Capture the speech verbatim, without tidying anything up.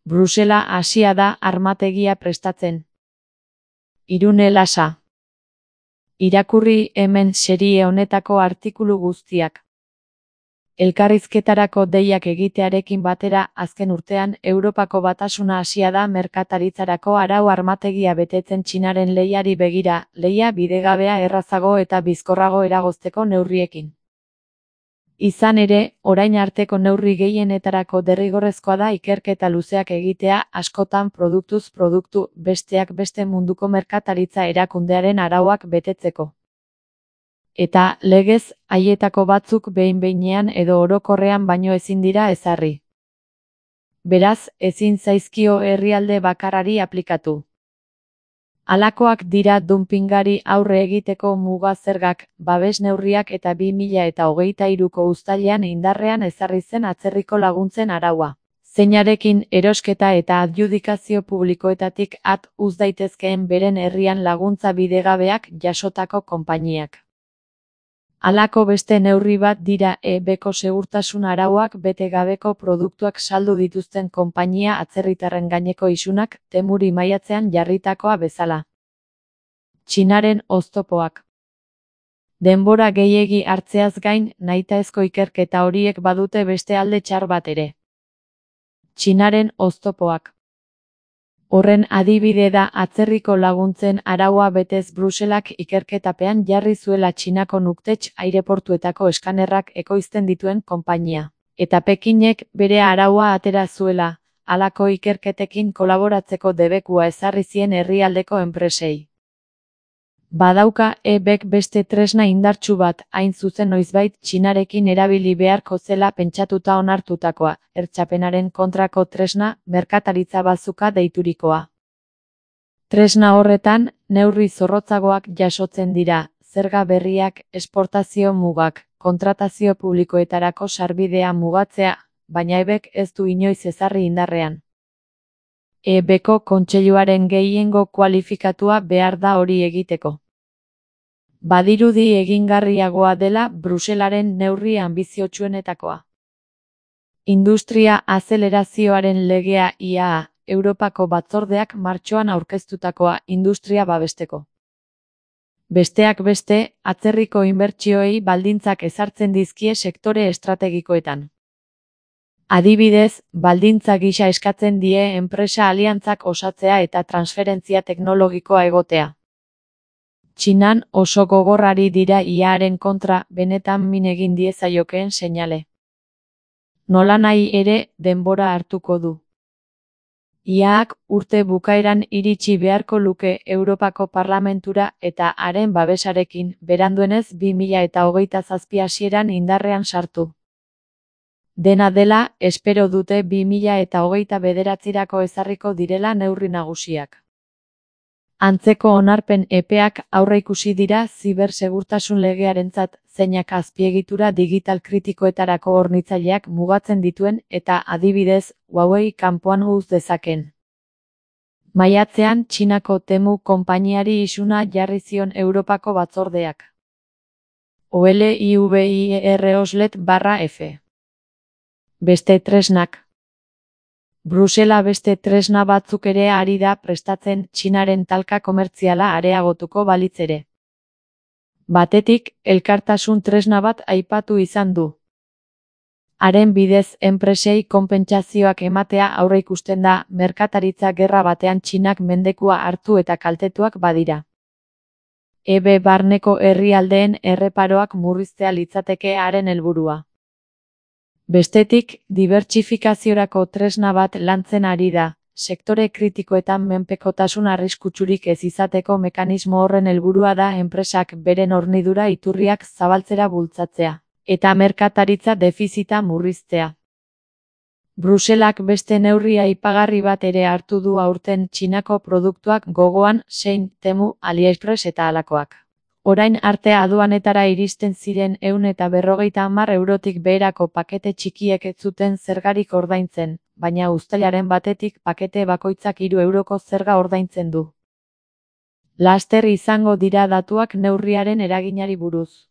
Brusela hasia da armategia prestatzen. Irune Lasa. Irakurri hemen serie honetako artikulu guztiak. Elkarrizketarako deiak egitearekin batera, azken urtean, Europako Batasuna hasia da merkataritzarako arau armategia betetzen Txinaren lehiari begira, lehia bidegabea errazago eta bizkorrago eragozteko neurriekin. Izan ere, orain arteko neurri gehienetarako derrigorrezkoa da ikerketa luzeak egitea, askotan produktuz produktu, besteak beste munduko merkataritza erakundearen arauak betetzeko. Eta, legez, haietako batzuk behin-behinean edo orokorrean baino ezin dira ezarri. Beraz, ezin zaizkio herrialde bakarrari aplikatu. Halakoak dira dumpingari aurre egiteko muga zergak, babes neurriak eta bi mila hogeita hiruko uztailean indarrean ezarri zen atzerriko laguntzen araua. Zeinarekin erosketa eta adjudikazio publikoetatik at uz daitezkeen beren herrian laguntza bidegabeak jasotako konpainiak. Halako beste neurri bat dira E Bko segurtasun arauak bete gabeko produktuak saldu dituzten konpainia atzerritarren gaineko isunak Temuri maiatzean jarritakoa bezala. Txinaren oztopoak. Denbora gehiegi hartzeaz gain, nahitaezko ikerketa horiek badute beste alde txar bat ere. Txinaren oztopoak. Horren adibide da atzerriko laguntzen araua betez Bruselak ikerketapean jarri zuela Txinako Nuktetx aireportuetako eskanerrak ekoizten dituen konpainia. Eta Pekinek bere araua atera zuela, halako ikerketekin kolaboratzeko debekua ezarri zien herrialdeko enpresei. Badauka E Bk beste tresna indartsu bat, hain zuzen noizbait Txinarekin erabili beharko zela pentsatuta onartutakoa, hertsapenaren kontrako tresna, merkataritza bazuka deiturikoa. Tresna horretan, neurri zorrotzagoak jasotzen dira, zerga berriak, esportazio mugak, kontratazio publikoetarako sarbidea mugatzea, baina E Bk ez du inoiz ezarri indarrean. E Bko kontseiluaren gehiengo kualifikatua behar da hori egiteko. Badirudi egingarriagoa dela Bruselaren neurri anbiziotsuenetakoa. Industria azelerazioaren legea I A A, Europako Batzordeak martxoan aurkeztutakoa industria babesteko. Besteak beste, atzerriko inbertsioei baldintzak ezartzen dizkie sektore estrategikoetan. Adibidez, baldintza gisa eskatzen die enpresa aliantzak osatzea eta transferentzia teknologikoa egotea. Txinan oso gogorrari dira I A Aren kontra benetan min egin diezaiokeen seinale. Nolanahi ere, denbora hartuko du. I A Ak urte bukaeran iritsi beharko luke Europako Parlamentura eta haren babesarekin, beranduenez bi mila hogeita zazpi hasieran indarrean sartu. Dena dela, espero dute bi mila hogeita bederatzirako ezarriko direla neurri nagusiak. Antzeko onarpen epeak aurreikusi dira zibersegurtasun legearentzat, zeinak azpiegitura digital kritikoetarako hornitzaileak mugatzen dituen eta adibidez, Huawei kanpoan uz dezaken. Maiatzean Txinako Temu konpainiari isuna jarri zion Europako Batzordeak. Olivieroslet barra F. Beste tresnak. Brusela beste tresna batzuk ere ari da prestatzen Txinaren talka komertziala areagotuko balitz ere. Batetik, elkartasun tresna bat aipatu izan du. Haren bidez enpresei konpentsazioak ematea aurreikusten da, merkataritza gerra batean Txinak mendekua hartu eta kaltetuak badira. E B barneko herrialdeen erreparoak murriztea litzateke haren helburua. Bestetik, dibertsifikaziorako tresna bat lantzen ari da, sektore kritikoetan menpekotasun arriskutsurik ez izateko mekanismo horren helburua da enpresak beren hornidura iturriak zabaltzera bultzatzea, eta merkataritza defizita murriztea. Bruselak beste neurri aipagarri bat ere hartu du aurten Txinako produktuak gogoan, Shein, Temu, AliExpress eta halakoak. Orain arte aduanetara iristen ziren ehun eta berrogeita hamar eurotik beherako pakete txikiek ez zuten zergarik ordaintzen, baina uztailaren batetik pakete bakoitzak hiru euroko zerga ordaintzen du. Laster izango dira datuak neurriaren eraginari buruz.